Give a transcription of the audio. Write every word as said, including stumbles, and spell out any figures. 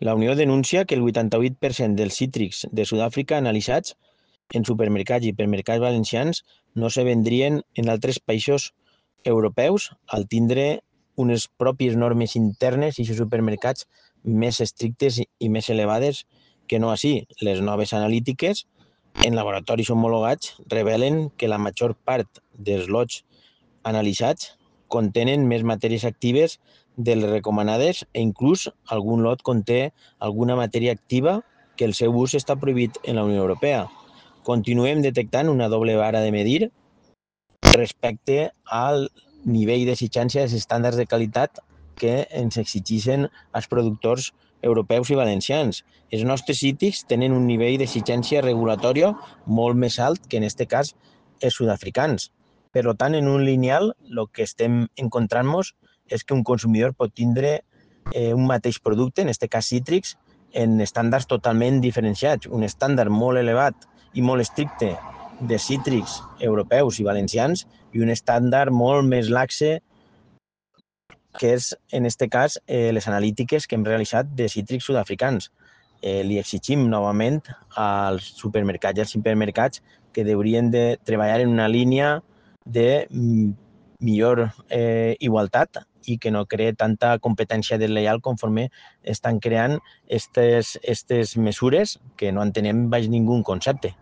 La Unió denuncia que el vuitanta-vuit per cent dels cítrics de Sud-àfrica analitzats en supermercats i hipermercats valencians no se vendrien en altres països europeus al tindre unes pròpies normes internes i supermercats més estrictes i més elevades que no així. Les noves analítiques en laboratoris homologats revelen que la major part dels lots analitzats contenen més matèries actives de les recomanades e inclús algun lot conté alguna matèria activa que el seu ús està prohibit en la Unió Europea. Continuem detectant una doble vara de medir respecte al nivell d'exigència dels estàndards de qualitat que ens exigeixen els productors europeus i valencians. Els nostres cítrics tenen un nivell d'exigència regulatòria molt més alt que en aquest cas els sud-africans. Per tant, en un lineal, el que estem encontrant-nos és que un consumidor pot tindre eh, un mateix producte, en aquest cas cítrics, en estàndards totalment diferenciats. Un estàndard molt elevat i molt estricte de cítrics europeus i valencians i un estàndard molt més laxe que és, en aquest cas, eh, les analítiques que hem realitzat de cítrics sud-africans. Eh, li exigim novament als supermercats i als hipermercats que haurien de treballar en una línia de millor eh, igualtat i que no cree tanta competència deslleial conforme estan creant aquestes mesures que no entenem baix ningú concepte.